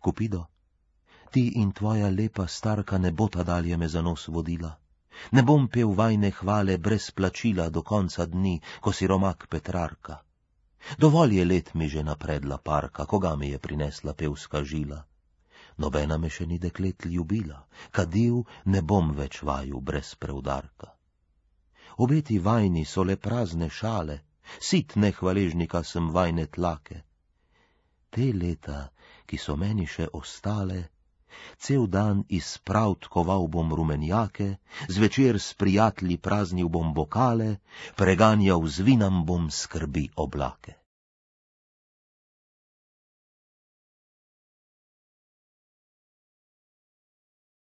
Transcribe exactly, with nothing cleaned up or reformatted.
Kupido, ti in tvoja lepa starka ne bota dalje me za nos vodila. Ne bom pel vajne hvale brez plačila do konca dni, ko si romak Petrarka. Dovolj je let mi že napredla parka, koga mi je prinesla pevska žila. Nobena me še ni deklet ljubila, kadil ne bom več vaju brez preudarka. Obeti vajni so le prazne šale, sit nehvaležnika sem vajne tlake. Te leta, ki so meni še ostale, cel dan iz pravd koval bom rumenjake, zvečer s prijatelji praznil bom bokale, preganjal z vinam bom skrbi oblake.